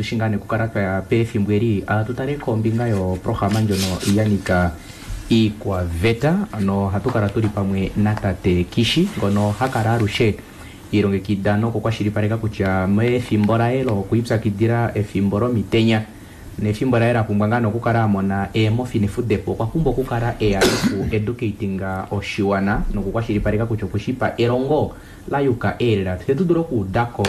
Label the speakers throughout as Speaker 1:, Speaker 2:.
Speaker 1: Otushi ngaa nee okukala twa ya pefimbo eli tu tale kombinga yoprograma ndjono ya nika iikwaveta. Ano ohatu kala tuli pamwe natate Kishi ngono ha kala alushe ilongekida nokukwashilipaleka kutya mefimbo laye lokwiipyakidila efimbo lomitenya nefimbo laye la pumbwa ngaa okukala a mona eemofi nefudepo, okwa pumbwa okukala eya noku educatinga oshiwana nokukwashilipaleka kutya okweshipa elongo la yuka eelela fye tu dule okuudako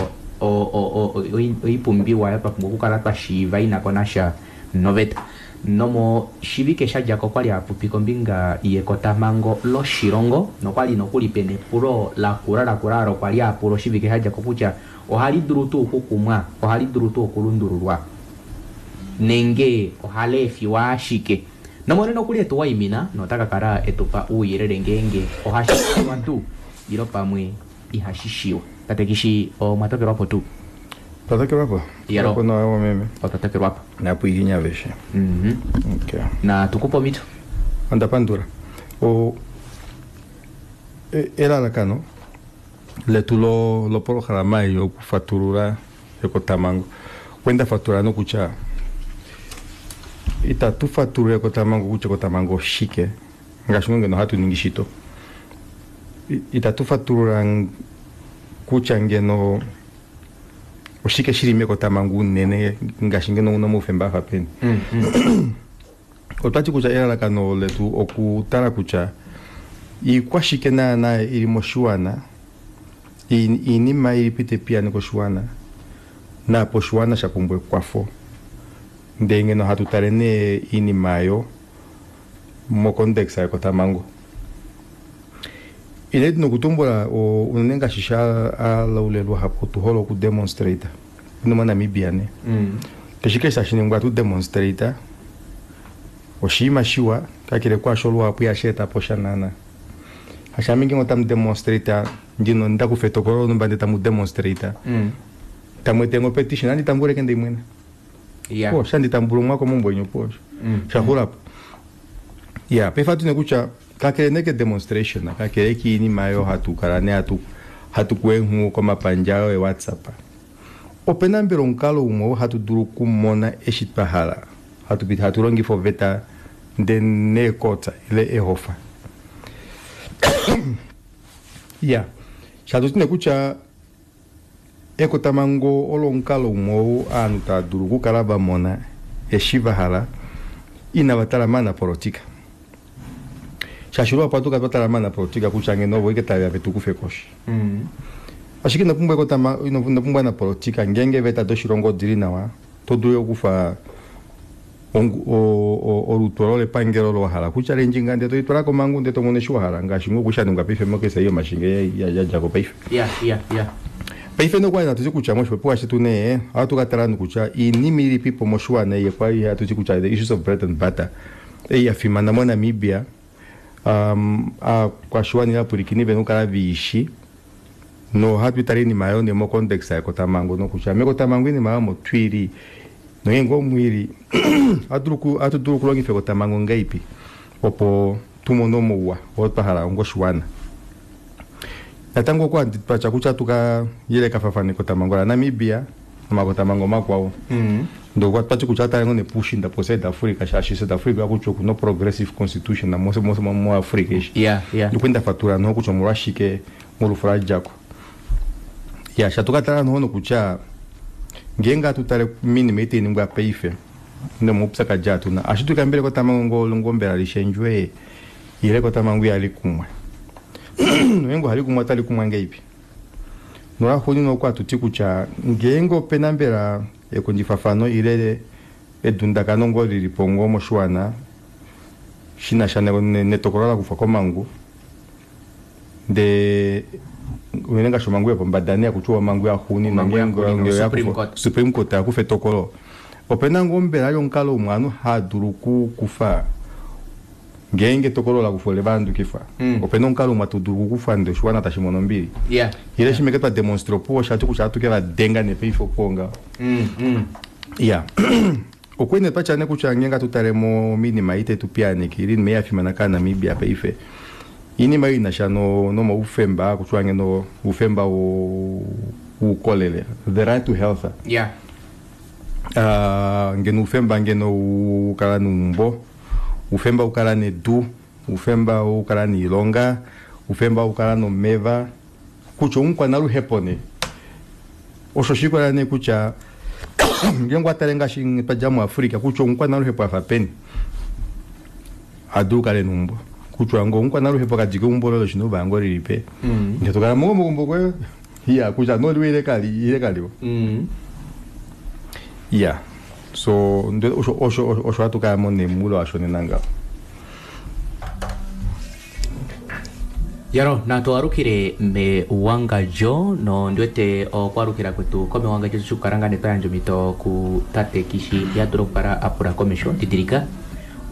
Speaker 1: oipumbiwa twa pumbwa okukala twa shiiva ina ko nasha noveta. Nomoshivike sha dja ko okwa li a popi kombinga yekotamhango loshilongo nokwali nokuli pena epulo lakula lakula olo kwa li a pula oshivike sha dja ko kutya ohali dulu tuu okukumwa, ohali dulu tuu okulundululwa nenge ohali efiwa ashike. Nomwene nokuli etu waimina nota ka kala etupa ouyelele ngeenge ohashi shiwa tuu ilo pamwe ihashi shiwa. Tate Kishi, omwa tokelwapo tuu?
Speaker 2: Twa tokelwapo?
Speaker 1: Yalo.
Speaker 2: Opo nawa meme.
Speaker 1: Otwa tokelwapo.
Speaker 2: Napwiikinya aveshe. Okay.
Speaker 1: Na tukupe omhito.
Speaker 2: Onda pandula. O elalakano letu lo lopolohalama ei okufatulula ekotamhango. Kwenda fatula nokutya itatu fatulula ekotamhango kutya ekotamhango oshike ngaashi ngeno hatu ningi shito. Itatu fatulula kutya ngeno oshike shili mekotamhango unene ngaashi ngeno una omaufemba afa peni. Otwati kutya elalakano letu okutala kutya iikwashike naana ili moshiwana, iinima ilipi tayi koshiwana naapo oshiwana sha pumbwa ekwafo. Ndee ngeno hatu tale nee iinima ayo mocontext yekotamhango. Ile nokutumbula unene ngaashi sha alaulelwa hapo tu hole okudemonstrate unene moNamibia ne. Keshe keshe tashi ningwa tu demonstrate oshinima shiwa kakele kwaasho luhapu ihashi eta po sha naana. Hashaami ngenge otamu demonstrate ndino ndakufa etokolo lonhumba ndee tamu demonstrate tamu ete ngo petition nandi tambuleke ndimwene. Po shandi tambula omwaka omumbwenyo po shaxulapo. Ya paife ohatu ne kutya kakele nee ke demonstration kakele kiinima oyo hatu kala nee hatu kuenghu komapandja ayo eWhatsApp. Opena mbela omukalo umwe oo hatu dulu okumona eshi twa hala hatu longifa oveta ndee neecourt ile ehofa. Ya shatuti nee kutya ekotamhango olo omukalo umwe oo ovanhu tava dulu okukala va mona eshi va hala inava tala maanapolitika. Shaashi luhapu ohatu kala twa tala maanapolitika kutya ngeno ovo ashike taveya vetu kufe koshi. Ashike ino pumbwa ino pumbwa anapolitika ngeenge eeveta doshilongo odili nawa to dulu okukufa olutu olo lepangelo olo wahala kutya lendjinga ndee tolitwala komhangu ndee tomono eshi wahala ngaashi ngoo sha ningwa paife mokesa ei yomashinge yadjako paife. Paife nokwali hatu ti kutya moshipopiwa shetu nee ohatu ka tala nokutya iinima ilipipo moshiwana ei kwali hatu ti kutya the issues of bread and butter ei ya fimana moNamibia aakwashiwana ile aapwilikini vena okukala veishi nohatu itala iinima ayo nee mocontext yekotamhango nokutya mekotamhango iinima ayo omo twili nongeenge omwili ohatu dulu okulongifa ekotamhango ngahelipi opo tumone omauwa oo twa hala onga oshiwana. Natango okwa twatya kutya tuka yelekafafana ekotamhango laNamibia nomakotamhango makwao. Ndee okwa twati kutya atale ngoo nepuushinda po South Africa shaashi South Africa kutya okuna progressive constitution muAfrica eshi. Okwali ndafatulula noho kutya omolwashike molufo ladjako. Ya shatukatala noho nokutya ngeenge hatu tale minima ei tainingwa paife nomaupyakadi atuna ohashi dulika mbela ekotamhango ngoo mbela lishendjwe ile ekotamhango ihali kumwa. Ngeenge ohali kumwa otali kumwa ngahelipi. Nolaxuuninwa okwa hatuti kutya ngeenge opena mbela ekondjifafano ile edundakano ngoo lilipo ngoo moshiwana shinasha netokolo lakufwa komhangu ndee unene ngaashi omhangu yopombada nee hakutiwa omhangu yaxuuninwa ngeenge Supreme Court yakufa etokolo opena ngoo mbela omukalo umwe ovanhu haadulu okukufa ngeenge etokolo lakufwa ole vahandukifwa opena omukalo umwe hatu dulu okukufa ndee oshiwana tashi mono ombili ile shimwe twa demonstrate opuwo oshati kutya ohatu ke vadenga nee paife opuwo ngaho. Ya okwene twatya nee kutya ngeenge hatu tale mominima ei tayi tupiyaaneke ile iinima ei yafimana kaaNamibia paife iinima ei inasha nomaufemba kutya ngeno oufemba woukolele the right to health. Ngeno oufemba ngeno ukala neumbo, oufemba ukala nedu, oufemba ukala noilonga, oufemba ukala nomeva, kutya omukwanaluhepo nee. Osho shikola nee kutya ngeenge watale ngaashi twadja muAfrica kutya omukwanaluhepo afa peni adulu kale neumbo, kutya ngo omukwanaluhepo kadike eumbo loye loshina uvango lilipe ndee tokala mogombo koye iya kutya noliwe ile kali ile kaliwa. Iya so osho osho osho hatu kala mo nemulo washo nena ngaho.
Speaker 1: Yaro natwalukile mewangadjo nondiwete okwalukila kwetu komewangadjo shikukala nga netwa yandja omhito ku tate Kishi yadula okukala apula komesho didilika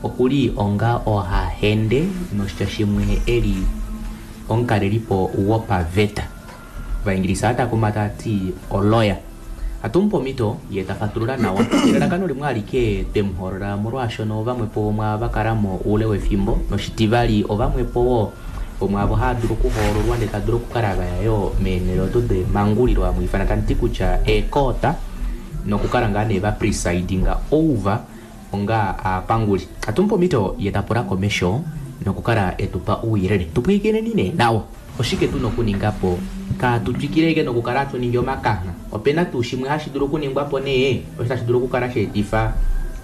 Speaker 1: okuli onga ohahende noshitya shimwe eli omukalelipo wopaveta vaingilisa atakuma tati oloya atumupa omhito ye tafatulula nawa elalakano limwe alike twemuholola molwaashono vamwepo mwa vakalamo oule wefimbo noshitivali ovamwepo wo omwe avo hava dulu okuhoololwa ndee tadulu okukala vaya yo meenhele odo demangulilo hamwiifana tamuti kutya eekoota nokukala ngaa nee va presidinga over onga aapanguli. Atumupa omhito ye tapula komesho nokukala etupa ouyelele tupwiikineni nee nawa oshike tuna okuningapo kaatu twikileke nokukala hatu ningi omakangha opena tuu shimwe hashi dulu okuningwapo nee osho tashi dulu okukala sheetifa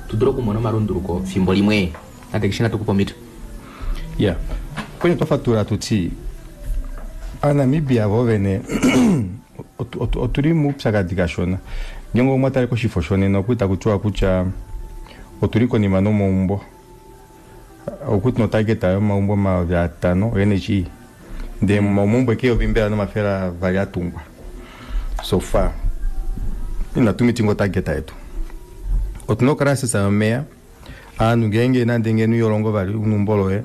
Speaker 1: tu dule okumona omalunduluko fimbo limwe. Tate Kishi natukupa omhito.
Speaker 2: Ya kwenye twafatula tuti aNamibia vo vene otuli muupyakadi kashona ngeenge omwatale koshifo shonena okuli takutiwa kutya otuli konima nomaumbo okuti notageta yomaumbo 5000 oNHE ndee momaumbo eke yovimbela nomafela vali atungwa so far inatu mitinga otageta yetu. Otuna ocrisis yomeya aanhu ngeenge nande ngeno iholongo vali neumbo loye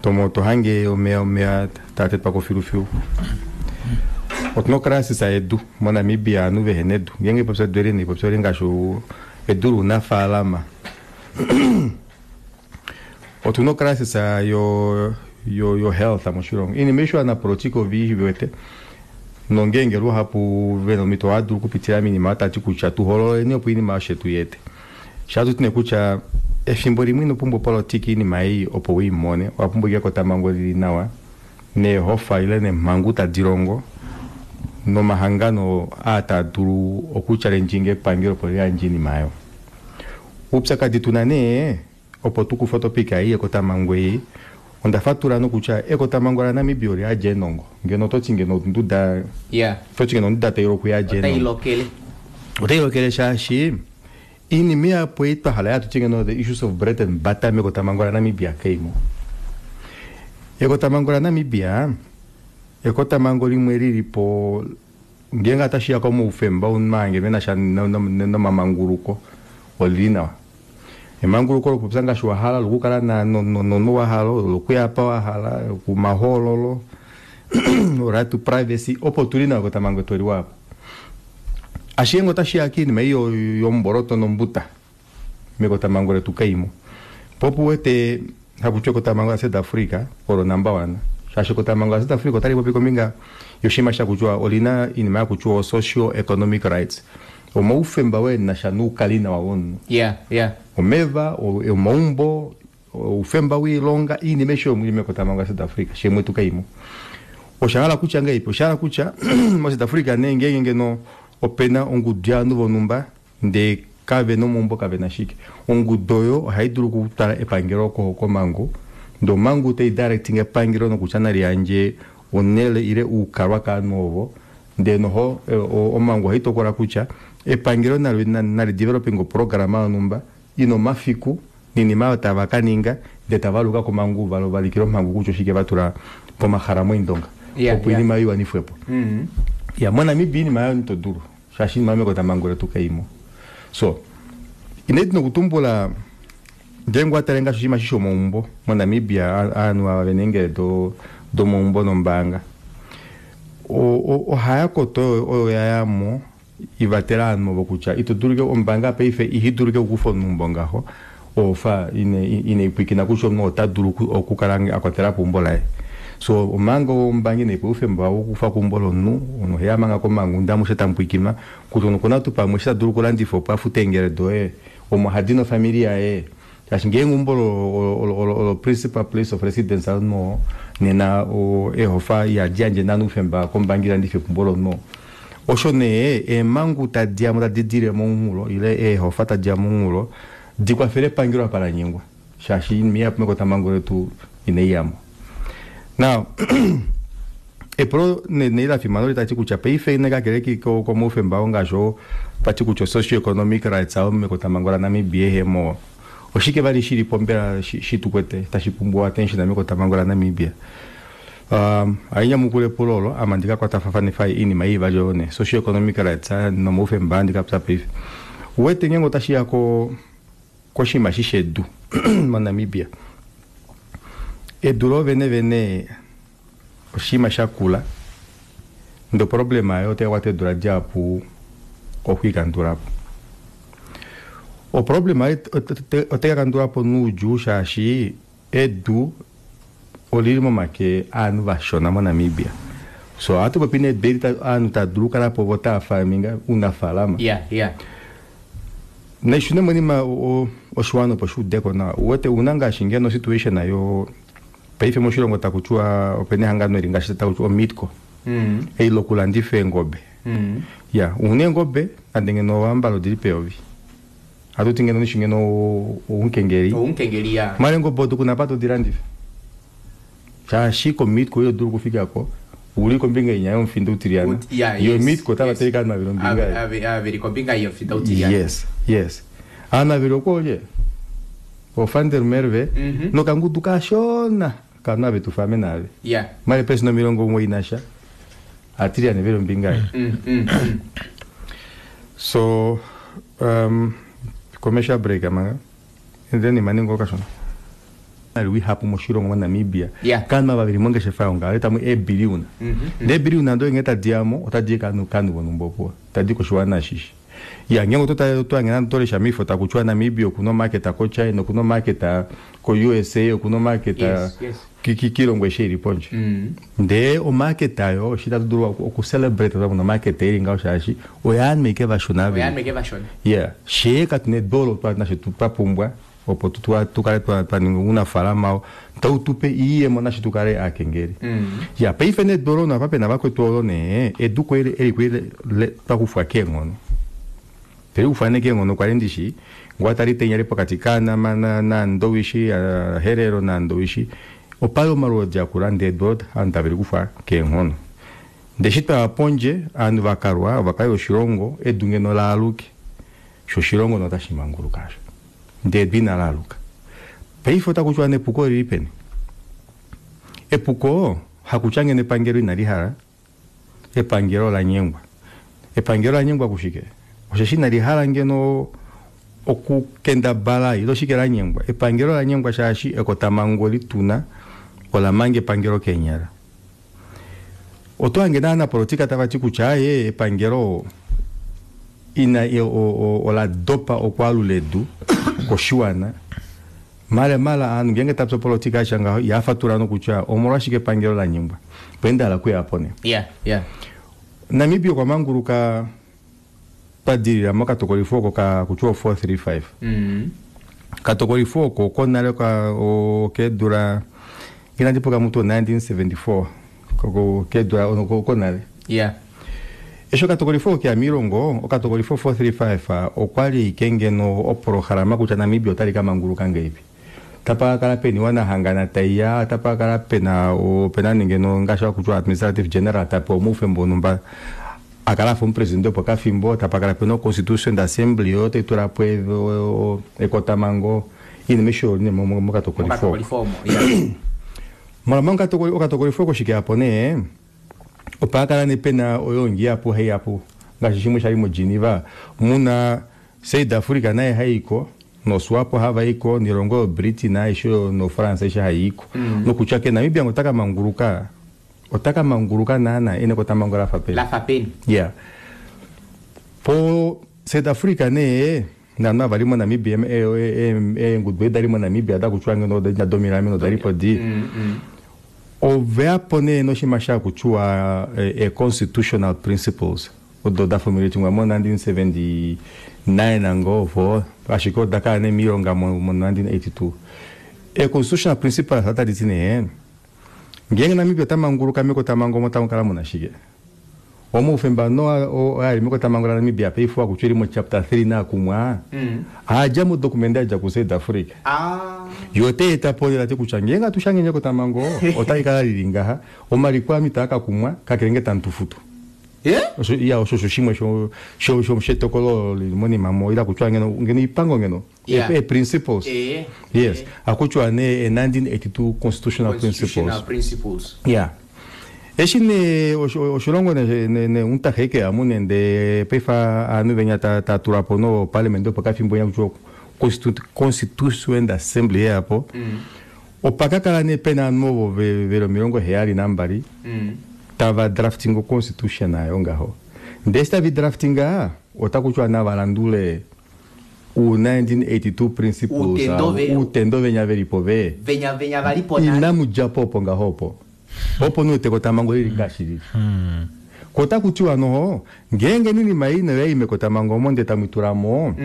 Speaker 2: tomo tohange omeya omeya taatetwako filufilu. Otuna ocrisis yedu moNamibia aanhu vehena edu ngeenge ipopya edu eli ipopya oli ngaashi edu lounafaalama. Otuna ocrisis yo yo yo health moshilongo iinima aishe ovanapolotika oviiwete nongeenge luhapu vena omhito ohadulu okupitila moinima oyo tati kutya tuhoololeni opo oinima osho tuyete. Shaatuti nee kutya efimbo limwe ino pumbwa opolitika iinima ei opo uimone owapumbwa ashike ekotamhango lili nawa neehofa ile neemhangu tadi longo nomahangano aa taa dulu okuchallenginga epangelo opo liyandje oinima aayo. Oupyakadi tuna nee opo tukufe otopic ei yekotamhango ei onda fatula nokutya ekotamhango laNamibia oliyadja eenongo ngeno ototi ngeno onduda ototi ngeno onduda tailoko iyadja eenongo otailokele shaashi iinima ihapu ei twahala yatuti ngeno the issues of bread and butter mekotamhango laNamibia kaimo. Ekotamhango laNamibia ekotamhango limwe lilipo ngeenge otashiya komaufemba omunhu venasha nomamanguluko olili nawa. Emanguluko lokupopya ngaashi wahala lokukala nomunhu wahala lokuya apa wahala kumahoololo right to privacy opo tuli nawa ekotamhango etu oliwa apo. Ashike ngee otashiya koinima ei yomboloto nombuta mekotamhango letu kaimo. Po opo uwete hakutiwa ekotamhango la South Africa olo number one shaashi ekotamhango la South Africa otali popi kombinga yoshinima shakutiwa olina oinima yakutiwa socio economic rights omaufemba wenasha noukalinawa womunhu. Omeva, omaumbo, oufemba woilonga oinima aishe oyo ili mekotamhango la South Africa shimwe tukaimo. Oshahala kutya ngahelipi? Oshahala kutya moSouth Africa nee ngeenge ngeno opena ongudu yovanhu vonhumba ndee kavena omaumbo kavena shike ongudu oyo ohaidulu okutwala epangelo komhangu ndee omhangu tai directing epangelo nokutya naliyandje onele ile oukalwa kovanhu ovo ndee noho omhangu ohaitokola kutya epangelo nali developing oprograma yonhumba ina omafiku noinima oyo tava kaninga ndee tavaluka komhangu valikile omhangu kutya oshike vatula pomahala moindonga opo oinima oyo iwanifwepo. Ya moNamibia oinima oyo ito dulu shaashi oinima oyo mekotamhango letu kaimo. So inandi nokutumbula ngeenge owatale ngaashi oshinima eshi shomaumbo moNamibia ovanhu ava vena eengele domaumbo nombaanga ohaya koto oyo yayamo ivatela ovanhu ovo kutya ito dulu ombaanga paife ihidulu ike okukufa omunhu ngaho ofa ine ipwikina kutya omunhu ota dulu okukala akwatelapo eumbo laye. So omanga ombangi nepe oufemba wokufa keumbo lomunhu omunhu oheya manga komhangu ndee amushe tamupwiikinwa kutya omunhu okuna tuu pamwe eshi tadulu okulandifa opo afute eengele doye omo hadi nofamili yaye shaashi ngeenge eumbo olo principal place of residence yomunhu oo nena eehofa ihadi yandje naana oufemba kombangi ilandife eumbo lomunhu oo. Osho nee eemhangu tadiyamo tadi dile momunghulo ile eehofa tadiya momunghulo dikwafele epangelo apa lanyengwa shaashi oinima ihapu mekotamhango letu inaiyamo. Now epulo nee lafimana oli tati kutya paife kakele komaufemba oo ngaashi oo twati kutya socio economic rights ao mekotamhango laNamibia ehemo oshike vali shilipo mbela shitukwete tashi pumbwa attention mekotamhango laNamibia. Hainyamukula epulo olo ame ndikakwatafanifa oinima ei ivali oyo nee socio economic rights nomaufemba andikapya paife. Uwete ngeenge otashiya koshinima eshi shedu moNamibia, edu loovene vene oshinima shakula ndee oproblema yayo otaikwata eedula dihapu okwiikandulapo. Oproblema otaikakandulwapo noudjuu shaashi edu olili momake aanhu vashona moNamibia. So ohatu popi nee edu eli ovanhu tava dulu okukalapo vo tava farminga ounafalama. Naishune monima oshiwana opo shuudeko nawa. Uwete una ngaashi ngeno situation yo paife moshilongo takutiwa opena ehangano eli ngaashi takutiwa oMeatco ei lokulandifa eengobe. Ya una eengobe nande ngeno owambala odili peyovi hatuti ngeno nishi ngeno oumukengeli.
Speaker 1: Oumukengeli ya.
Speaker 2: Mara eengobe odo kuna apa todilandifa shaashi koMeatco ito dulu okufikako uli kombinga inya yomufinda utilyana. Yo Meatco otava teleke ovanhu vaveli ombinga ei.
Speaker 1: Aveli kombinga yomufinda utilyana.
Speaker 2: Yes, yes. Ovanhu vaveli okoolye? O Van der Merwe nokangudu kashona kavanhu ave tufa ame naave. Mara eepelesenda 91 atilyane veli ombinga ei. So commercial break manga and then imane ngoo kashona. Ihapu moshilongo moNamibia kaanhu ava veli mongeshefa yongaho tamu eebiliyona. Ndee eebiliyona odo nghee tadiyamo otadi kaanhu vonhumba opo tadi koshiwana ashishe. Ya ngeenge otohange nande otolesha moifo takutiwa Namibia okuna omarket koChina, okuna omarket ko-USA, okuna omarket kiilongo aishe ili pondje. Ndee omarket ayo eshi tatu dulu okucelebrate twamona omarket ili ngaho shaashi oyaanhu ashike vashona
Speaker 1: veli.
Speaker 2: Yeah, shee katuna edu olo nashe twapumbwa opo tukale twaninga ounafalama oo tautupe iiyemo nashe tukale aakengeli. Ya paife nee edu olo napa pena vakwetu olo nee edu eli kweli twakufwa keenghono. Telikufwa nee keenghono kwali ndishi ngoo tali tenya li pokati kaanama naandowishi Herero naandowishi opali omalwoodi akula ndee edu olo ovanhu tave likufwa keenghono. Ndee eshi twaya pondje ovanhu vakalwa ovakali voshilongo edu ngeno laaluke sho oshilongo notashi manguluka asho ndee edu ina laaluka. Paife otakutiwa nee epuko olili peni? Epuko hakutya ngeno epangelo inalihala, epangelo olanyengwa. Epangelo olanyengwa kushike? Osheshi inalihala ngeno okukendabala ile oshike lanyengwa. Epangelo olanyengwa shaashi ekotamhango lituna ola manga epangelo keenyala. Oto hange naanapolitika tavati kutya aaye epangelo ina ola dopa okwaalula edu koshiwana. Mala mala aanhu ngeenge tapya opolitika yatya ngaho ihafatula nokutya omolwashike epangelo lanyengwa. Opo ndahala okuyapo nee. Namibia okwa manguluka twadilila mokatokolifo oko kakutiwa 435. Katokolifo oko konale okeedula nginandi pokamutu 1974 keedula konale. Eshi okatokolifo oko keya miilongo okatokolifo 435 okwali ashike ngeno oprograma kutya Namibia otali kamanguluka ngahelipi. Tapa kala pena iwanahangana taiya, tapa kala pena opena ngeno ngaashi hakutiwa administrative general tapewa omaufemba onhumba akala afa omupresidente pokafimbo, tapa kala pena constitution assembly oyo taitulapo ekotamhango iinima aishe oyo mokatokolifo oko. Mala okatokolifo oko shikeyapo nee opa kala nee pena oyongi ihapu haiyapo ngaashi shimwe shali moGeneva muna South Africa naye haiko noSwapo havaiko noilongo yoBritain aishe noFrance aishe haiiko. Nokutya ke Namibia ngo otakamanguluka otakamanguluka naana ena ekotamhango lafa peni.
Speaker 1: Lafa peni.
Speaker 2: Yeah. Po South Africa nee naanhu ava vali moNamibia eengudu edi dali moNamibia dakutiwa ngeno domilameno odalipo di. Oveyapo nee noshinima shakutiwa constitutional principles odo dafomulatingwa mo 1979 ngoo opo, ashike oda kala nee moilonga mo 1982. Constitutional principles otaditi nee ngeenge Namibia ota manguluka mekotamhango omo tamu kala muna shike? Omaufemba no ali mekotamhango laNamibia paife akutya eli mo chapter 3 naakumwa aadja modokumende yadja ku South Africa. Yo otai eta po lela ti kutya ngeenge atushange ekotamhango otai kala lili ngaha, omaliko ami taa ka kumwa kakele nge tamu tu futu. Osho osho shimwe shetokolo lili monima mo ila kutya ngeno ipango ngeno principles. Yes, akutya ne 1982 constitutional principles. Yeah. Eshi ne oshilongo ne untaheke amu nende paife ovanhu venya ta tula po no parliament opo kafimbo nya kutya constituent assembly yapo. Opa kakala ne pena ovanhu ovo veli 72 tava drafting constitution ayo ngaho. Ndee eshi tavi draftinga otakutya navalandule u 1982 principles utendo venya velipo ve
Speaker 1: venya valipo
Speaker 2: inamudjapo opo ngaho opo. Opo nuwete ekotamhango lili ngaashi lili. Ko otakutiwa noho ngeenge ninima ei noyai mekotamhango omo ndee tamwitulamo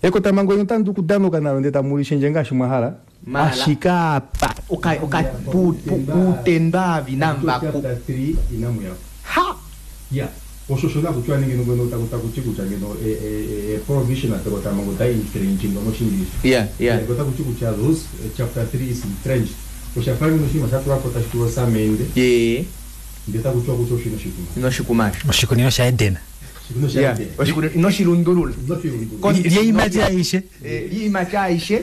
Speaker 2: ekotamhango eno otamu dulu okudanuka nalo ndee tamulishendje ngaashi mwahala. Ashike apa
Speaker 1: utendo avi namvaku ha
Speaker 2: ya osho osho nakutiwa nenge ngeno takuti kutya ngeno provision tekotamhango tai infringing moshingilisha. Otakuti kutya those chapter 3 is infringed. Oshafa ngeno oshinima shatulwapo tashi tulwa osamende ndee takutiwa kutya osho inoshikuma.
Speaker 1: Inoshikumasho.
Speaker 3: Oshikunino shaEden.
Speaker 1: Oshikunino inoshilundulula.
Speaker 3: Lyeimati aishe.
Speaker 1: Lyeimati aishe.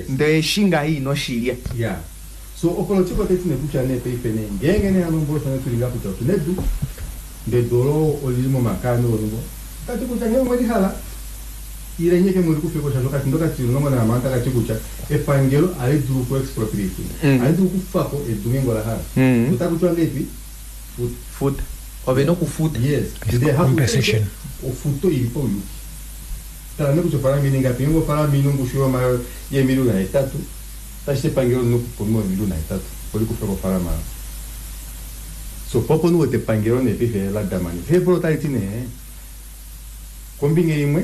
Speaker 1: Ndee shinga hii inoshilya.
Speaker 2: Yeah. So opolitiko otaiti nekutya nee paife nee ngeenge nee hano mbolo shone tulinga kutya otuna edu ndee edu olo olili momakano olongo tati kutya ngee omwelihala ile nyeke mweli kufeko shasho kati ndo kati 16 takati kutya epangelo ali dulu ku expropriate ali dulu kufako edu ngeenge olahala otakutiwa ngeipi
Speaker 1: futa ove nokufuta.
Speaker 2: Yes,
Speaker 3: compensation
Speaker 2: ofuto ili pauyuki. Tala nekutya ofalama ingapi ngeenge ofalama ina ongushu yeemiliyona 8 tashi epangelo lina okuponwa eemiliyona 8 olikufeko ofalama. So popo nuwete epangelo nee paife ladamani paife otaliti nee kombinga imwe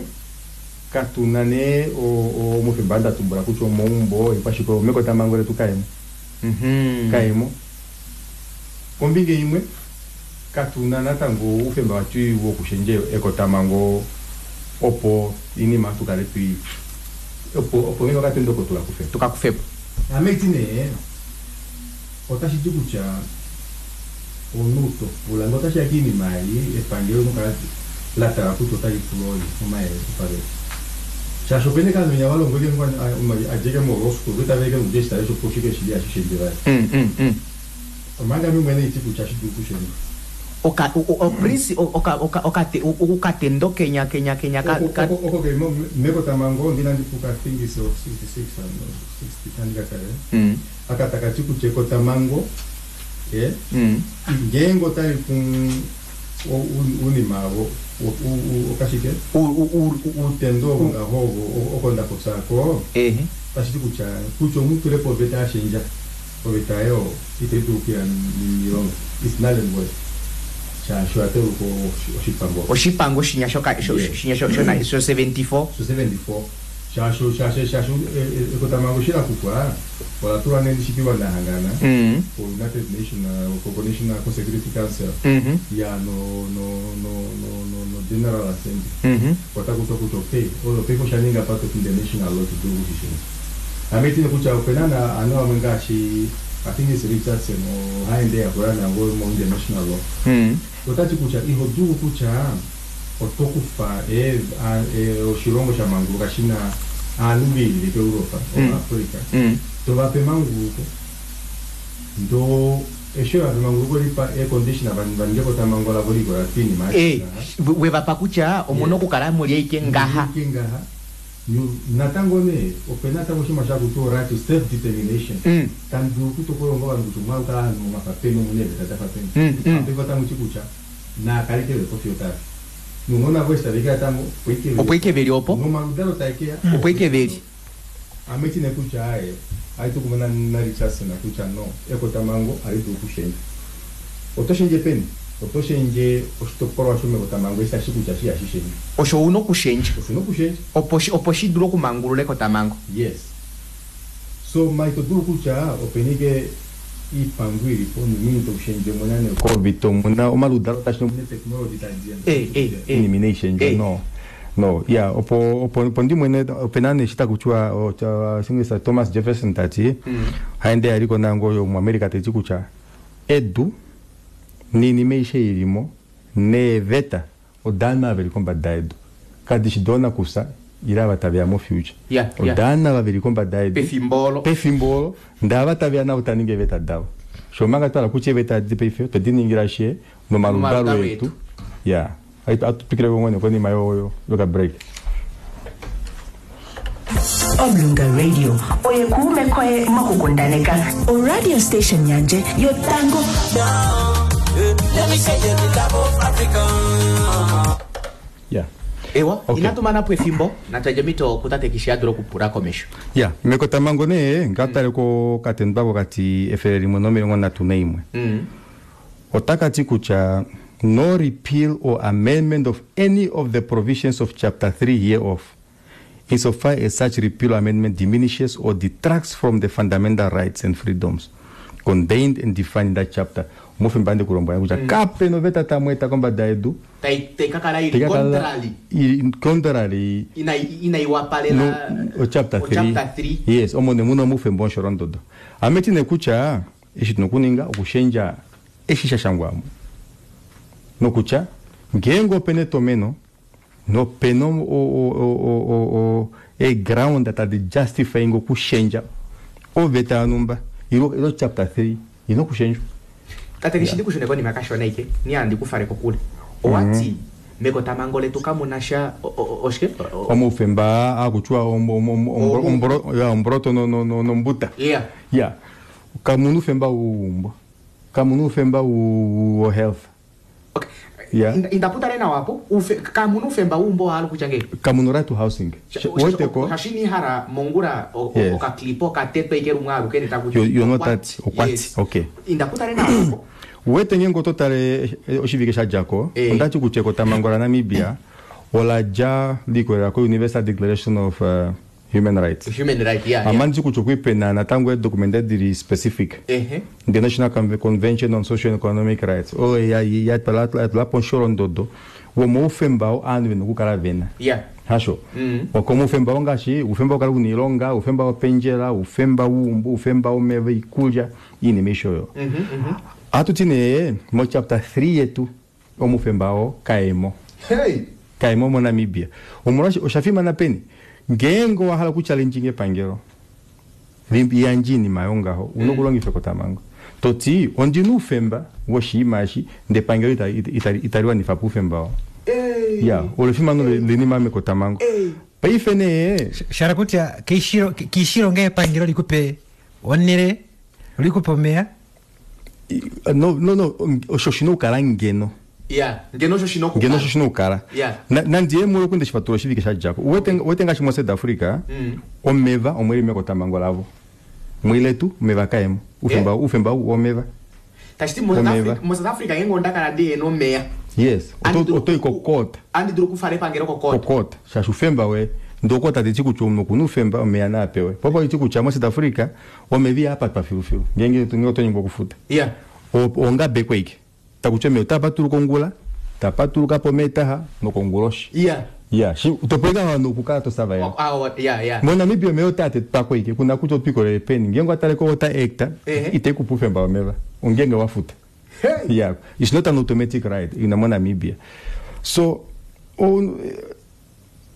Speaker 2: katuna nee omufemba ndatumbula kutya omaumbo ekwashike mekotamhango letu kaemo. Kaemo. Kombinga imwe katuna natango oufemba watu wokushendja ekotamhango opo inima tukale tui opo ngeno katendo oko tukakufepo.
Speaker 1: Tukakufepo.
Speaker 2: Ame iti nee otashi ti kutya omunhu topula ngee otashiya kiinima ei epangelo nokala latala kutya otali pula omayele opaveta. Shaashi opena eke ovanhu venya valongweke adjeke mo law school vetaveke nokudja eshitale shopo shike shili hashishendje vali. Omanga ame mwene iti kutya hashi dulu okushendjwa.
Speaker 1: Okatendo kenya kenya kenya
Speaker 2: oko keli mekotamhango ndinandipuka I think is 66 60 andikatale. Aka takati kutya ekotamhango ngeenge otali ku unima okashike utendo ovo ngaho oko ndapopyako tashiti kutya kutya omutulepo oveta yashendja oveta oyo itai dulu okuya miilonga is null and void shaashi oyateuluka oshipango
Speaker 1: oshipango shinya shoka shinya sho 74
Speaker 2: sho 74 shaashi shaashi shaashi ekotamhango eshi lakufwa ola tulwa nee nahangana ko United Nation ko National Security Council ya no no no no no no General Assembly otakutwa kutya okay oyo paife oshaninga part of international law tudulu kushishendja. Ame itine kutya opena na anu amwe ngaashi I think it's Richardson ohaende yakula nango mo international law. Otati kutya iho dulu kutya oto kufa oshilongo shamanguluka shina ovanhu veilile koEuropa oAfrica tovape emanguluko ndo eshi vape emanguluko lipa econdition vaninge ekotamhango lavo likola piinima
Speaker 1: wevapa kutya omuna okukala muli aike ngaha.
Speaker 2: Ngaha. Natango nee opena natango oshinima shakuti right to self determination. Tamu dulu okutokola ovanhu kutya omwa kala ovanhu mwafa peni omuna eeveta dafa peni. Paife otamuti kutya naakale keve fiyo tafi. Nounona vo eshi tavekeya tango
Speaker 1: opo ike veli opo
Speaker 2: nomaludalo taekeya
Speaker 1: opo ike veli.
Speaker 2: Ame iti nee kutya aye Ohatu kumwe naRichardson kutya no, ekotamhango ohali dulu okushendjwa. Oto shendje peni? Oto shendje oshitopolwa shomekotamhango eshi tashi kutya shi ihashi shendjwa.
Speaker 1: Osho una okushendja.
Speaker 2: Osho una okushendja.
Speaker 1: Opo shi dule okumangulula ekotamhango.
Speaker 2: Yes. So ma ito dulu kutya openi ike iipango ilipo noumini taushendje omuna nee covid omuna omaludalo tashi omuna technology tadiya iinima inayi shendjwa no. No ya opo opo opo ndimwene opena nee eshi takutiwa Singisa Thomas Jefferson tati haende yaliko nango yomuAmerica tati kutya edu niinima aishe ilimo neeveta odaanhu ava veli kombada yedu kadishi doonakusa ile ava taveya mo future odaanhu ava veli kombada yedu
Speaker 1: pefimbo olo
Speaker 2: pefimbo olo ndee ava taveya navo taningi eeveta davo sho omanga twahala kutya eeveta edi paife otwe diningila she nomaludalo etu ya Ohatu twikile ko ngoo konima yoka break.
Speaker 4: Omulunga Radio oye kuume koye mokukundaneka. O radio station yandje yotango.
Speaker 2: Yeah.
Speaker 1: Ewa,
Speaker 2: Okay.
Speaker 1: inatu mana po efimbo, natwandje omhito kutate Kishi a dule okupula komesho.
Speaker 2: Ya, mekotamhango nee ngatale kokatendo kokati 131. Otaka ti kutya no repeal or amendment of any of the provisions of chapter 3 hereof, insofar as such repeal or amendment diminishes or detracts from the fundamental rights and freedoms contained and defined in that chapter. Omufimba andi kulombwela kutya kape noveta tamweeta kombada yedu
Speaker 1: Tai ka kala ili
Speaker 2: tai ka kala
Speaker 1: contrary.
Speaker 2: ili contrary
Speaker 1: Inai wapalela
Speaker 2: no, o chapter 3.
Speaker 1: O chapter 3.
Speaker 2: Yes, omo ne muna omufimba wosholondodo. Ame ti nee kutya eshi tuna okuninga okushendja eshi sha shangwamo nokutya ngeenge opena etomeno nopena eeground tadi justifying okushendja oveta yonhumba ilo chapter 3 ina okushendjwa.
Speaker 1: Tate Kishi ndikushune konima kashona ike niya ndikufale kokule. Owati mekotamhango letu kamuna sha oshike?
Speaker 2: Omaufemba akutiwa ombroto nombuta.
Speaker 1: Yeah.
Speaker 2: Yeah. Kamuna oufemba wouumbo. Kamuna oufemba wo health.
Speaker 1: Okay.
Speaker 2: Yeah.
Speaker 1: Indaputale nawa apo kamuna oufemba wouumbo wahala kutya ngee?
Speaker 2: Kamuna right to housing. Weteko.
Speaker 1: Shashini hara mongura
Speaker 2: Yes.
Speaker 1: okaklipo okatetwa ike lumwe aluke netakuti
Speaker 2: You know that okwati. Okay.
Speaker 1: Indaputale nawa apo.
Speaker 2: Wete ngeenge oto tale oshivike sha djako ondati kutya ekotamhango laNamibia ola dja likolela ko Universal Declaration of Human Rights.
Speaker 1: Human right, yeah, yeah.
Speaker 2: Amanditi kutya okwa pena natango eedokumende dili specific. The National Convention on Social and Economic Rights oyo ya tula po omusholondodo womaufemba oo ovanhu vena okukala vena. Hasho. Okomaufemba oo ngaashi oufemba wokukala una oilonga, oufemba wopendjela, oufemba wouumbo, oufemba womeva, oikulya, oinima aishe oyo. Ohatu ti nee mo chapter 3 yetu omaufemba oo kaemo.
Speaker 1: Hey.
Speaker 2: Kaemo moNamibia. Omolwaashi osha fimana peni? Ngeenge owa hala okuchallenge epangelo liyandje oinima yongaho, una okulongifa ekotamhango. Toti ondina oufemba woshinima eshi ndee epangelo itali wanifa po oufemba oo. Ya, olo efimano loinima mekotamhango. Paife nee
Speaker 3: Shala kutya keishilo ngee epangelo likupe onhele, likupe omeya?
Speaker 2: No, no, no, osho oshina okukala ngeno.
Speaker 1: Yeah, ngeno osho shina okukala.
Speaker 2: Ngeno osho shina okukala.
Speaker 1: Yeah.
Speaker 2: Nandi ye mulo kunde shifatula oshivike sha djako. Uwete ngaashi moSouth Africa, omeva omweli mekotamhango lavo. Mwiletu omeva kaemo. Ufemba ufemba womeva.
Speaker 1: Tashi ti moSouth
Speaker 2: Omeva.
Speaker 1: Africa, moSouth Africa ngeenge onda kala ndihena omeya.
Speaker 2: Yes,
Speaker 1: Andi dulu
Speaker 2: oto i kokota.
Speaker 1: Andi dulu okufala epangelo kokota.
Speaker 2: Kokota. Shaashi ufemba we ndokota teti kutya omunhu okuna oufemba omeya naa pewe. Popo iti kutya moSouth Africa omeva ihaapatwa filufilu. Ngeenge oto nyengwa okufuta.
Speaker 1: Yeah.
Speaker 2: Ongabekwa ike. Takutya omeya otaa patuluka ongula, tapatuluka pomeetaha nokonguloshi.
Speaker 1: Yeah.
Speaker 2: Yeah, shi topweka vanhu okukala to survive.
Speaker 1: Oh, yeah, yeah.
Speaker 2: MoNamibia omeya otaa tetwako ike, kuna kutya otwiikolele peni. Ngeenge watale ko water act, itai kupa oufemba womeva. Ongeenge wafuta.
Speaker 1: Hey.
Speaker 2: Yeah, it's not an automatic right ina moNamibia. So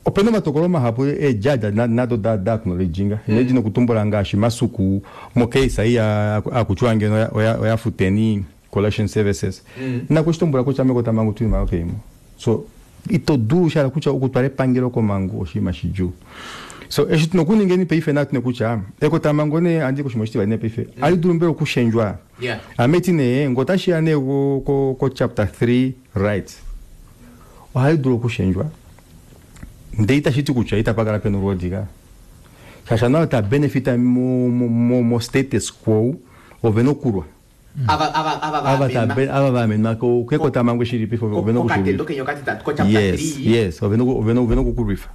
Speaker 2: opena omatokolo mahapu eejudge nado da acknowledginga. Nedi nokutumbula ngaashi Masuku mocase ei akutiwa ngeno oya futeni collection services. Nakushitumbula kutya mekotamhango tuima okeimo. So ito dulu shala kutya okutwala epangelo komangu oshinima shidjuu. So eshi tuna okuningeni paife natune kutya ekotamhango nee andi koshima oshitivali nee paife ali dulu mbela okushendjwa.
Speaker 1: Yeah.
Speaker 2: Ame ti nee ngo otashiya nee ko chapter 3 rights ohali dulu okushendjwa ndee itashi ti kutya itapa kala pena olwoodi ka. Shaashi nao ta benefita mo, mo, mo, mo status quo ovena okulwa.
Speaker 1: Ava ava ava
Speaker 2: Ava ta
Speaker 1: vaamenwa.
Speaker 2: be- ava vaamenwa ko- kekotamhango shilipi ovena
Speaker 1: Kokatendo
Speaker 2: okushilwifa.
Speaker 1: kenya okatitatu ko chapter
Speaker 2: Yes,
Speaker 1: 3.
Speaker 2: yes, ovena oku- ovena ovena okukulwifa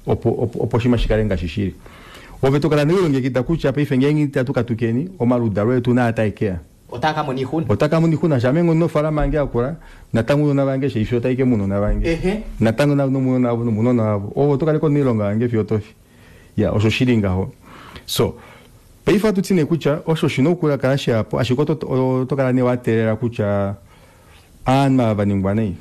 Speaker 2: opo opo opo oshinima shikale ngaashi shili. Ove tokala newilongekida kutya paife ngeenge itatu katukeni omaludalo etu naa tae keya.
Speaker 1: Otaa ka mona oixuna.
Speaker 2: Otaka mona oixuna shame nofaalama yange yakula natango ounona vange sheifi otai ke munona vange.
Speaker 1: Ehe.
Speaker 2: Natango nomunona wavo nomunona wavo. Ovo oto kaleko moilonga yange fiyo tofi. Ya osho shili ngaho. So paife ohatu ti nee kutya osho shina okukala shapo ashike oto kala nee wateelela kutya aanhu ava vaningwa nai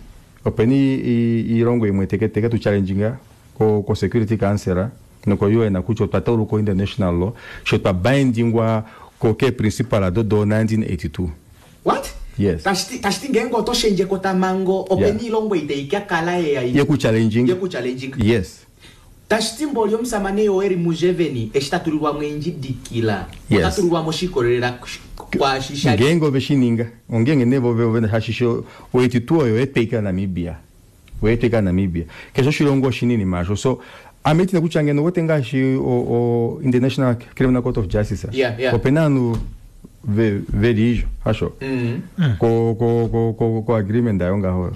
Speaker 2: opena iilongo imwe teke teke tu challenginga ko, ko security council noko UN kutya otwa tauluka international law sho twa bindingwa ko ke principal ado do 1982.
Speaker 1: What?
Speaker 2: Yes.
Speaker 1: Tashiti ngeenge oto shendje ekotamhango opena iilongo itai ka kala yeya
Speaker 2: Yeku challenging.
Speaker 1: yeku challenging.
Speaker 2: Yes.
Speaker 1: Tashiti mboli omusamane Yoweri Museveni eshi ta tulilwamo endjidikila
Speaker 2: Yes.
Speaker 1: ota tulilwamo shikolelela kwaashi sha
Speaker 2: ngeenge ove shininga ongeenge nee vove ove hashishe o82 oyo yetweika Namibia oyetweika Namibia keshe oshilongo oshinini masho so ame itina kutya ngeno wote ngaashi o International Criminal Court of Justice opena ovanhu veli izho hasho ko ko ko ko ko agreement ayo ngaho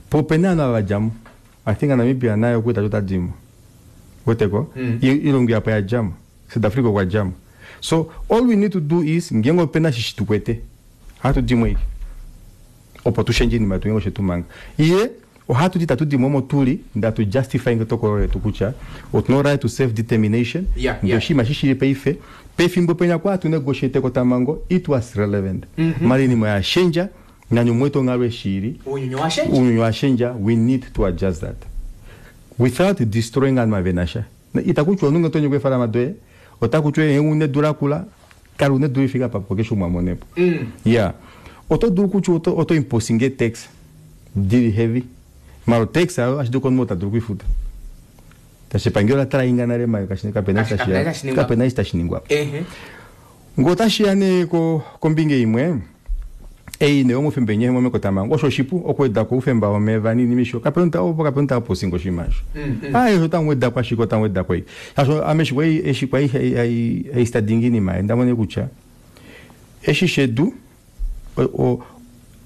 Speaker 2: po opena ovanhu ava vadjamo. I think Namibia nayo okuita totadimo weteko ilongo yapo yadjamo South Africa okwa djamo. So all we need to do is ngeenge opena shishi tukwete ohatu dimo ike opo tushendje iinima yetu ngeenge oshetumanga iye ohatu ti tatu dimo omo tuli ndatu justifying etokolo letu kutya otuna right to self determination.
Speaker 1: Yeah,
Speaker 2: Ndee oshinima shishili paife pefimbo penya kwa hatu negotiate ekotamhango it was relevant. Mara iinima oya shendja nani omwetu onghalo eshili.
Speaker 1: Ounyuni owa shendja.
Speaker 2: Ounyuni owa shendja, we need to adjust that without destroying ovanhu vavena sha. Ita kutya omunhu ngee otonyekwa eefalama doye ota kutya ee une edu lakula kala une edu lifika papo keshe umwe amonepo. Yeah, oto dulu kutya oto, oto imposing tax dili heavy mara tax ayo ashidulu komunhu ota dulu okuifuta tashi epangelo la tala nale mayo kapena
Speaker 1: Kashi- kapena
Speaker 2: eshi
Speaker 1: tashi ningwa.
Speaker 2: kapena eshi tashi ningwa.
Speaker 1: Ehe.
Speaker 2: Ngee otashiya nee kombinga imwe ei nee omoufemba enye momekotamhango osho oshipu okuwedako oufemba womeva ninima isho kapena opo kapena otaposinga oshinima osho. Ai osho otamuwedako ashike otamuwedako ei shaashi ame eshi kwai haistadinga iinima ei ndamona kutya eshi shedu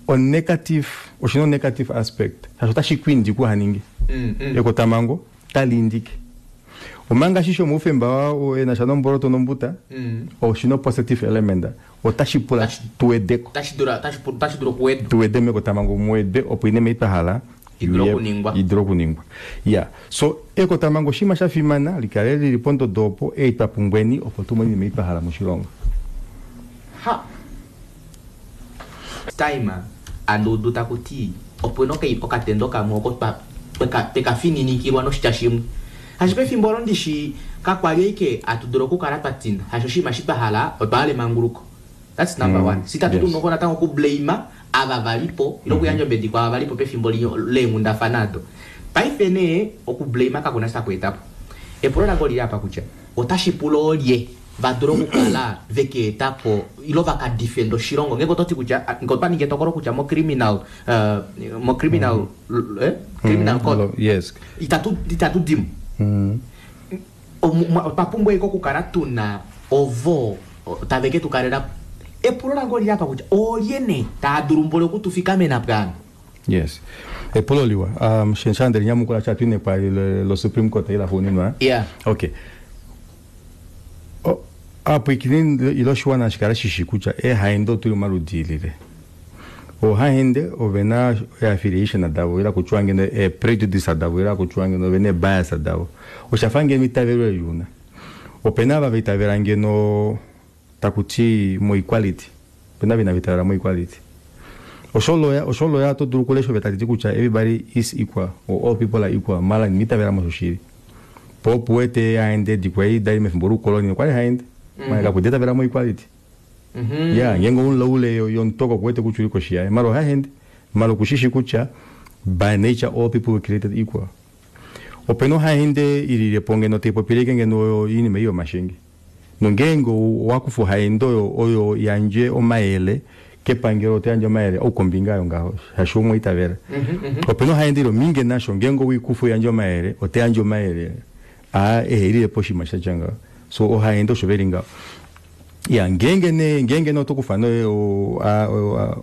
Speaker 2: o negative oshina o negative aspect shaashi otashi kwindike uhaninge ekotamhango taliindike omanga eshi shomoufemba enasha nomboloto nombuta oshina o positive element otashi pula tuwedeko.
Speaker 1: Tashi dulu tashi dulu okuwedwa.
Speaker 2: Tuwede mekotamhango muwede opo inima ei twahala
Speaker 1: Idule okuningwa.
Speaker 2: idule okuningwa. Ya so ekotamhango oshinima shafimana likale lili pondodo opo ei twapumbweni opo tumone inima ei twahala moshilongo.
Speaker 1: Ha time anduudu takuti opena okatendo kamwe oko tweka fininikilwa noshitya shimwe hashi pefimbo olo ndishi kakwali aike atu dulu okukala twa tinda hashi oshinima shi twahala otwa hala emanguluko. That's number one. Sitatu noko natango okublame ava valipo ile okuyandja ombedi kwaava valipo pefimbo leenghundafana ado. Paife nee okublame kakuna shi taku etapo. Epulo lange olili apa kutya otashi pula oolye va dule okukala veke etapo ilo vakadefenda oshilongo ngeenge ototi kutya ngee otwa ningi etokolo kutya mo criminal mo criminal criminal code
Speaker 2: Yes.
Speaker 1: itatu dimo otwa pumbwa ike okukala tuna ovo tave ke tukalela. Epulo lange olili apa kutya oolye nee taa dulu mboli okutufikamena pwaano?
Speaker 2: Yes, epulo liwa. Sha ndelinyamukula sha twine kwa lo Supreme Court ila xuuninwa. Okay, apwikineni ilo oshiwana shikale shishi kutya eehaende otuli momaludi ilile. Oohaende ovena affiliation davo ila kutyiwa ngeno e prejudice davo ila kutyiwa ngeno ovena bias davo. Oshafa ngeno itavelo eliuna opena ava vaitavela ngeno takuti mo equality, opena vina vitavela mo equality. Osholoya osholoya oto dulu okulesha ove tatiti kutya everybody is equal or all people are equal mala nimitavela mosho shili po opo uwete haende dikwai dali mefimbo loukoloni okwali haende mala kakudetavela mo equality. Ya ngeenge omunlaule yomutoko kuwete kutya uli koshi yaye mala ohaende mala okushishi kutya by nature all people were created equal. Opena ohaende ililepo ngeno taipopileke ngeno iinima ei yomashenge nongeenge owakufa ohaende oyo oyo yandje omayele kepangelo otayandje omayele oukombinga ayo ngaho shaashi umwe itavela. Opena ohaende ilo minge nasho ngeenge owikufa uyandje omayele otayandje omayele A ehelilepo oshinima shatya ngaho. So ohaende osho veli ngaho. Ya ngeenge nee ngeenge nee oto kufa nee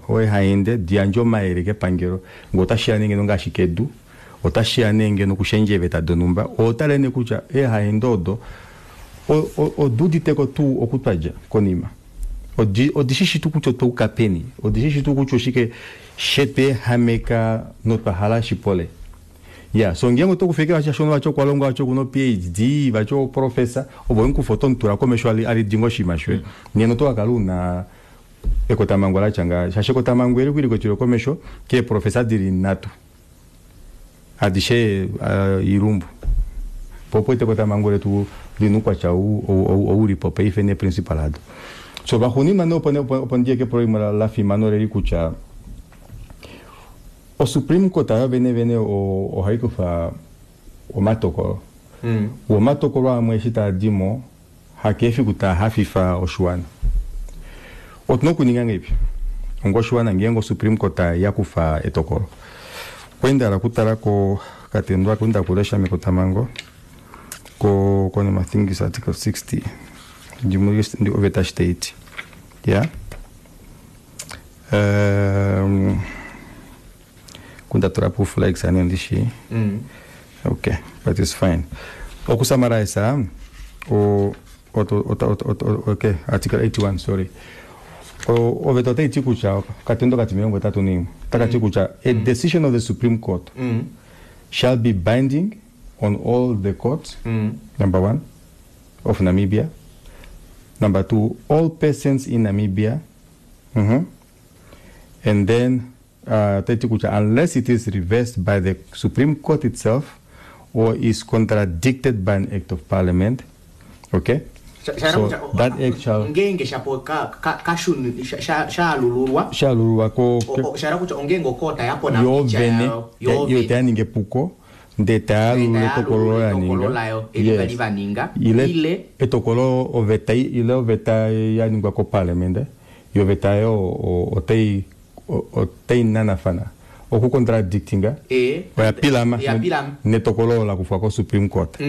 Speaker 2: oehaende diyandje omayele kepangelo ngee otashiya nee ngeno ngaashi kedu otashiya nee ngeno kushendja eeveta donhumba otale nee kutya eehaende odo oduuditeko tuu oku twadja konima odi odishishi tuu kutya otwa yuka peni odishishi tuu kutya oshike shetweehameka notwa hala shipole. Ya so ngeenge oto kufa ashike vati shaashi vati okwa longwa vati okuna o PhD vati o professor ove owemukufa oto mutula komesho alidinga oshinima shoye nena oto kakala una ekotamhango latya ngaha shaashi ekotamhango eli okwali likwetele komesho kee professor dili nhatu adishe oilumbu po opo ekotamhango letu lina oukwatya ou ou ulipo paife nee principal ado. So vaxuuninwa nee opo ndiye kepulo limwe lafimana oleli kutya O Supreme Court yo vene vene ohai kufa omatokolo. Wo omatokolo amwe eshi taa di mo, hakeefiku taa hafifa oshiwana. Otuna okuninga ngahelipi onga oshiwana ngeenge o Supreme Court ya kufa etokolo? Okwali nda hala okutala ko katendo aka nda kulesha mekotamhango ko konima I think it's article 60 ndi oveta eshi taiti. Yeah. Um, kunda tula po flags ani ondishi okay but it's fine okusummarize o okay article 81 sorry oveta otai ti kutya okatendo kati 81 taka ti kutya a decision of the supreme court shall be binding on all the courts number one of Namibia number two all persons in Namibia mm And then otai ti kutya unless it is reversed by the Supreme Court itself or is contradicted by an Act of Parliament. Okay?
Speaker 1: Sha- sha-
Speaker 2: So
Speaker 1: sha-
Speaker 2: that act shall
Speaker 1: ngeenge shapo ka ka ka shuni sha- sha- shaalululwa
Speaker 2: shalululwa ko
Speaker 1: O- o- sha hala kutya ongeenge okoota ya pona
Speaker 2: yo
Speaker 1: oitya
Speaker 2: vene
Speaker 1: yayo yo
Speaker 2: yo
Speaker 1: vene
Speaker 2: taya ningi epuko ndee tayalulula etokolo olo ya
Speaker 1: etokolo
Speaker 2: ninga
Speaker 1: layo eli
Speaker 2: yes
Speaker 1: vali va ninga
Speaker 2: ile
Speaker 1: ile
Speaker 2: etokolo oveta ile oveta ya ningwa koparliament yo oveta oyo otai otai nanafana oku contradictinga
Speaker 1: ee
Speaker 2: oya pilama
Speaker 1: ya pilama
Speaker 2: netokolo olo la kufwa ko supreme court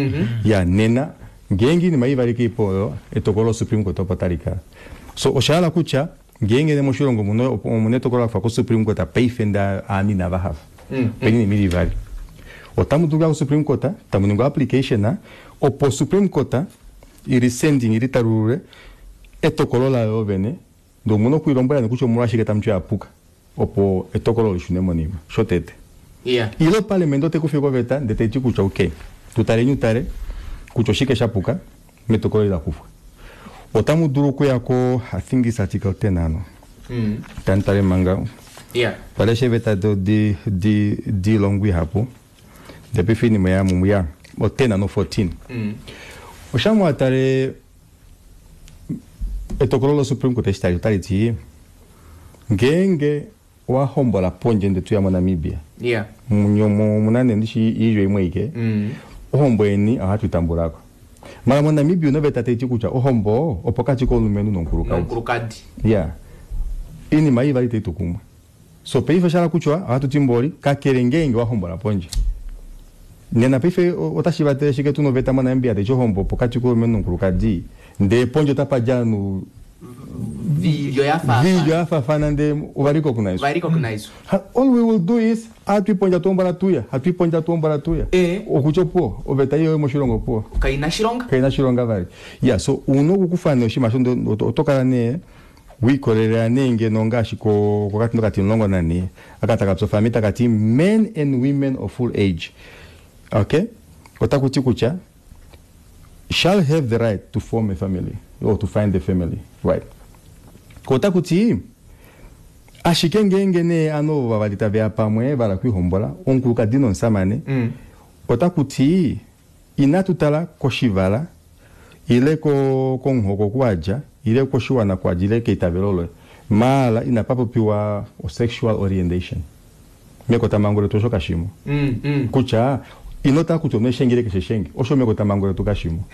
Speaker 2: ya nena ngeenge oinima ivali kaipo oyo etokolo lo supreme court opo tali kala so osha hala kutya ngeenge moshilongo muno omuna etokolo la kufwa ko supreme court paife ndee ovanhu inava hafa opena oinima ili ivali Otamu dulu okuya ko Supreme Court tamu ningi o application opo Supreme Court i rescinding, i litalulule etokolo layo vene ndee omuna oku ilombwela nee kutya omolwashike tamu ti oya puka opo etokolo olo lishune monima. Shotete.
Speaker 1: Yeah.
Speaker 2: Ile oparliament otai kufa oveta ndee taiti kutya ok, tutaleni utale kutya oshike sha puka metokolo eli la kufwa. Otamu dulu okuya ko I think it's article 10 ano. Tandi tale manga.
Speaker 1: Yeah.
Speaker 2: Twalesha eeveta do di di diilongo ihapu ndee paife oinima oya mumwe ya o 10 no 14. Oshamwa tale etokolo lo Supreme Court eshi tali otali ti ngeenge owa hombola pondje ndee toya moNamibia
Speaker 1: Yeah.
Speaker 2: munye omu omuna nee ndishi iilyo imwe aike ohombo yeni ohatu i tambulako. Mara moNamibia una oveta taiti kutya ohombo opokati komulumenhu nomukulukadi.
Speaker 1: Nomukulukadi.
Speaker 2: Yeah. Oinima ei ivali itai tu kumwe. So paife osha hala kutya ohatu ti mboli kakele ngeenge wa hombola pondje. Nena paife otashi vatele shike tuna oveta moNamibia taiti ohombo opokati komulumenhu nomukulukadi ndee pondje otapa dja ovanhu
Speaker 1: Viilyo ya faafana.
Speaker 2: viilyo ya faafana ndee ova recognizwa.
Speaker 1: Va recognizwa.
Speaker 2: Ha, all we will do is hatui pondje hatu hombola tuya, hatui pondje hatu hombola tuya.
Speaker 1: Eh.
Speaker 2: Okutya opuwo, oveta ei oyo moshilongo opuwo.
Speaker 1: Kai na shilonga.
Speaker 2: Kai na shilonga vali. Yeah, so una okukufa nee oshinima osho ndee oto kala nee wiikolelela nee ngeno ngaashi ko kokatindo kati 14 aka taka psofami taka ti men and women of full age. Okay? Otaku ti kutya shall have the right to form a family or to find a family right. Ko otaku ti ashike ngeenge nee ovanhu ovo vavali tave ya pamwe va hala okwiihombola, omukulukadi nomusamane, otaku ti inatu tala koshivala ile komuhoko oku wa dja ile koshiwana oku wa dja ile keitavelo loye, maala inapa popiwa o-sexual orientation. Mekotamhango letu osho kashimo. Kutya ino tala kutya omunhu eshenge ile keshe eshenge, osho mekotamhango letu kashimo.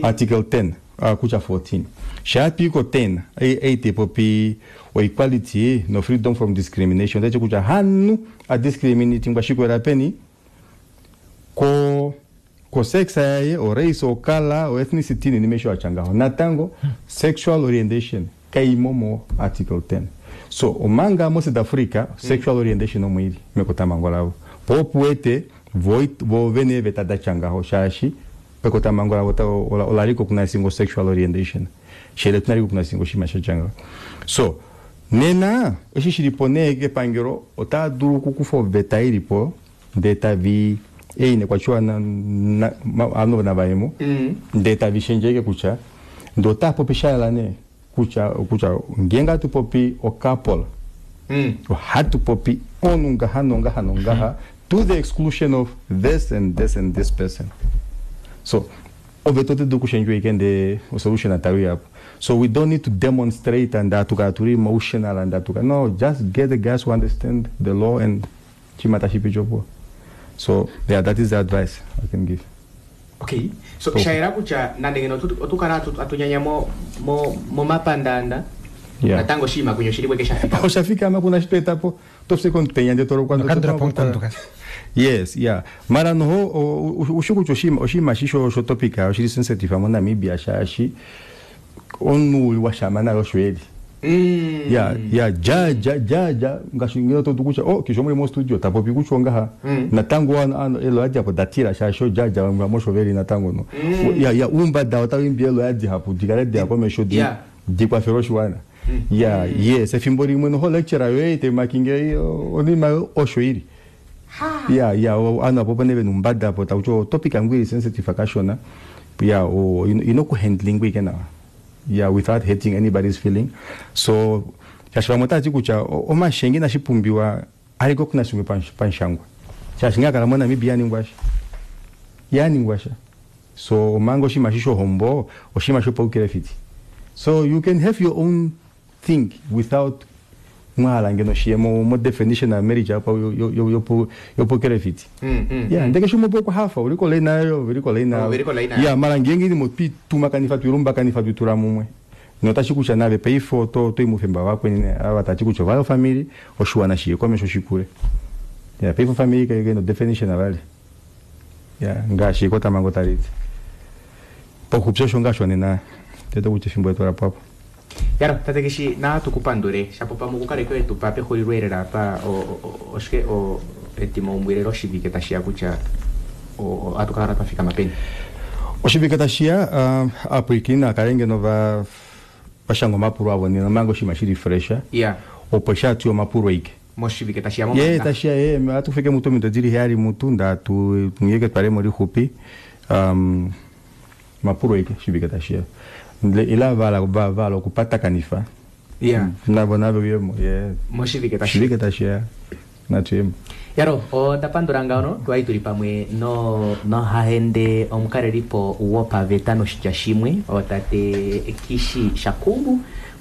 Speaker 2: Article 10 kutya 14. Shaa twa i ko 10, ei tai popi o equality no freedom from discrimination, otai ti kutya hamunhu a discriminatingwa shikwela peni ko. Ko sex yaye, o race, o color, o ethnicity nini mesho achangaho. Natango sexual orientation kaimo mo article 10. So omanga mo South Africa sexual orientation omwili mekotamango lavo. Popuete voit vovene vetada changaho shashi pekotamango lavo ta ola recognize sexual orientation. Shele tuna recognize shima shachangaho. So nena eshi shilipo nee kepangelo otaa dulu okukufa oveta ilipo ndee tavi eine kwachiwa ano navaemo ndee tavi shendjeke kutya ndee otaa popi shayela nee kutya kutya ngeenge atu popi ocouple ohatu popi onu ngaha nongaha nongaha to the exclusion of this and this and this person. So oveta ote dulu kushendjwa ike ndee osolution atawi apo. So we don't need to demonstrate and atukala tuli emotional and atuka no, just get the guys who understand the law and chima tashipichopo. So yeah, that is the advice I can give.
Speaker 1: Okay, so shayela kutya nande ngeno otukala atunyanya mo momapandanda natango oshinima kunye oshili kweke shafika.
Speaker 2: Oshafika ama kuna shitwetapo tofise komutenya ndee tolokwa. Yes, yeah. Mara noho usho kutya oshinima shi sho topic oshili sensitive mo Namibia shaashi omunhu washama naye osho eli. Ya ya ja ja ja ja ngaashi ngeno to kutya oh kisho muri mo studio tapopi kutya ngaha natango ano elo adi apo datira shaashi jaja vamwe mosho veli natango no. Ya ya umbada otawimbi elo adi hapo dikale di hapo mesho di dikwafela oshiwana. Ya yes efimbo limwe noho lecture yoye te makinge onima osho ili. Ya ya ano apo pane venu umbada apo takuti topic yangu ili sensitive akashona. Ya o inokuhandling wike nawa. Yeah, without hurting anybody's feeling. So shaashi vamwe otati kutya omashenge inashipumbiwa aliko kuna shimwe panshangwa. Shaashi ngakala mo Namibia yaningwasha. Yaningwasha. So omanga oshinima shi shohombo oshinima shopaukirefiti. So you can have your own thing without mwahala ngeno shiye mo definition ya marriage apa yopokerefiti. Yeah, ndeke shumo poko hafa uliko leina uliko leina. Yeah, mara ngenge ni mopi tumakanifa twirumba kanifa twitura mumwe. Notashi kutya nave peifo to to imufemba wakwe nine ava tachi kutya vayo family oshiwana shiye komesho shikule. Yeah, peifo family kage no definition avali. Yeah, ngashi kota mango taliti. Pokupsha shonga shonena. Tete kutya fimbo yetu rapo apo.
Speaker 1: Yaro, tate Kishi, na tukupandule shapo pamwe kukale kwetu pa pexulilo apa oshike o etimaumbwile loshivike tashiya kutya atukakala twafika mapeni.
Speaker 2: Oshivike tashiya apwikina kale ngeno va vashanga omapulo avo nena manga oshinima shili fresh.
Speaker 1: Yeah.
Speaker 2: Opo shatu omapulo ike.
Speaker 1: Moshivike tashiya mo.
Speaker 2: Ye tashiya ye atufike mutu mido dili hali mutu ndatu ngeke twale mo lixupi. Mapulo ike shivike tashiya. Ila vala okupata kanifa.
Speaker 1: Yeah.
Speaker 2: Nabo nabo yemo. Yeah.
Speaker 1: Moshivike tashiya.
Speaker 2: Shivike tashiya. Natuyemo.
Speaker 1: Yaro, ondapandula ngaono twali tuli pamwe no nohahende omukalelipo wopaveta noshitya shimwe otate Kishi Shakubu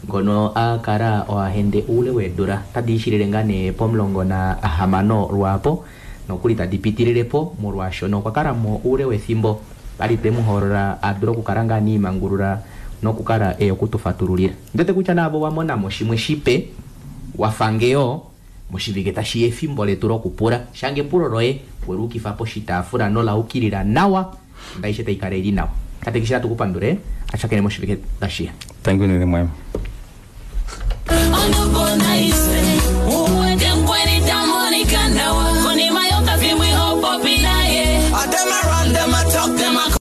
Speaker 1: ngono akala oahende uule weedula tadi ishilile ngaa nee po16 lwapo nokuli tadi pitililepo molwaashono okwa kala mo uule wethimbo ali twemuhoolola adule okukala ngaa niimangulula nokukala eya okutufatululila. Ndete kutya naavo wamonamo shimwe shipe wafangeyo moshivike tashiya efimbo letu lokupula shange epulo loye weluukifa poshitaafula nolaukilila nawa ndaishe taikala ili nawa. Tate Kishi natukupandule ashakene moshivike tashiya.
Speaker 2: Thank you nene mwema.